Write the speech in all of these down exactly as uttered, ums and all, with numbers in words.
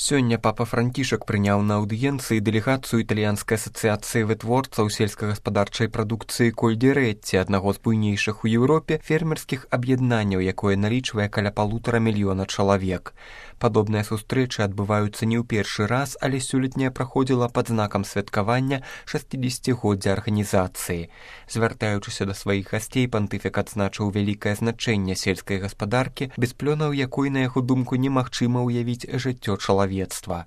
Сёння папа Францішак прыняў на аўдыенцыі дэлегацыю італьянскай асацыяцыі вытворцаў сельскагаспадарчай прадукцыі Кольдзерэці, аднаго з буйнейшых у Еўропе фермерскіх аб'яднанняў, якое налічвае каля палутара мільёна чалавек. Падобныя сустрэчы адбываюцца не ў першы раз, але сёлетняя праходзіла пад знакам святкавання шасцідзесяцігоддзя арганізацыі. Звяртаючыся да сваіх гасцей, пантыфік адзначыў вялікае значэнне сельскай гаспадаркі, без плёнаў якой, на яго думку, немагчыма ўявіць жыццё чалавецтва.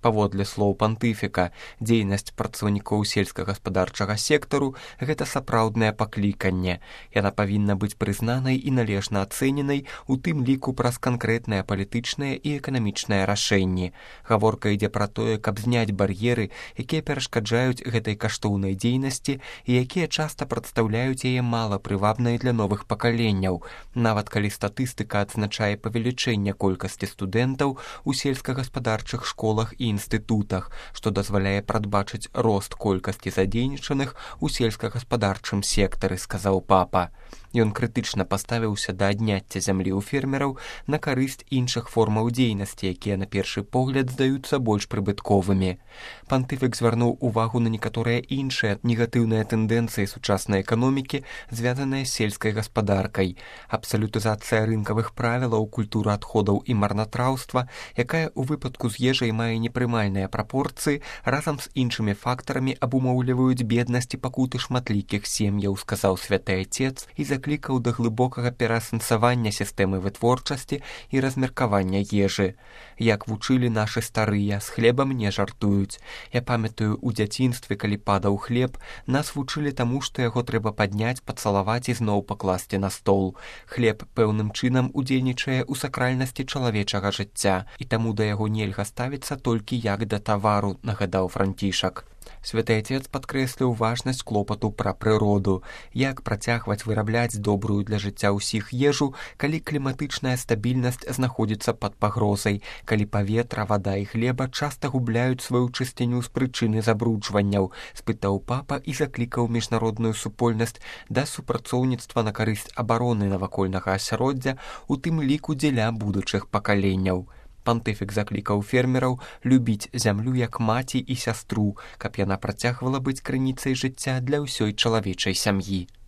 Паводле слоў пантыфіка, дзейнасць працаўнікоў сельскагаспадарчага сектару – гэта сапраўднае пакліканне. Яна павінна быць прызнанай і належна ацэненай, у тым ліку праз канкрэтныя палітычныя і эканамічныя рашэнні. Гаворка ідзе пра тое, каб зняць бар'еры, якія перашкаджаюць гэтай каштоўнай дзейнасці і якія часта прадстаўляюць яе мала прывабнай для новых пакаленняў, нават калі статыстыка адзначае павелічэнне колькасці студэнтаў у сельскагаспадарчых школах і інстытутах, што дазваляе прадбачыць рост колькасці задзейнічаных у сельскагаспадарчым сектары, сказаў папа. Ён крытычна паставіўся да адняцця зямлі ў фермераў на карысць іншых формаў дзейнасці, якія на першы погляд здаюцца больш прыбытковымі. Пантыфік звярнуў увагу на некаторыя іншыя негатыўныя тэндэнцыі сучаснай эканомікі, звязаныя з сельскай гаспадаркай. Абсалютызацыя рынкавых правілаў, культура адходаў і марнатраўства, якая ў выпадку з ежай мае непрымальныя прапорцыі, разам з іншымі фактарамі абумоўліваюць беднасць і пакуты шматлікіх сем'яў, сказаў святы Ацец і заклікаў да глыбокага пераасэнсавання сістэмы вытворчасці і размеркавання ежы. Як вучылі нашы старыя, з хлебам не жартуюць. Я памятаю, у дзяцінстве, калі падаў хлеб, нас вучылі таму, што яго трэба падняць, пацалаваць і зноў пакласці на стол. Хлеб пэўным чынам удзельнічае ў сакральнасці чалавечага жыцця, і таму да яго нельга ставіцца толькі як да тавару, нагадаў Францішак. Святы Ацец падкрэсліў важнасць клопату пра прыроду, як працягваць вырабляць добрую для жыцця ўсіх ежу, калі кліматычная стабільнасць знаходзіцца пад пагрозай, калі паветра, вада і глеба часта губляюць сваю чысціню з прычыны забруджванняў, спытаў папа і заклікаў міжнародную супольнасць да супрацоўніцтва на карысць абароны навакольнага асяроддзя, у тым ліку дзеля будучых пакаленняў. Пантыфік заклікаў фермераў любіць зямлю як маці і сястру, каб яна працягвала быць крыніцай жыцця для ўсёй чалавечай сям'і.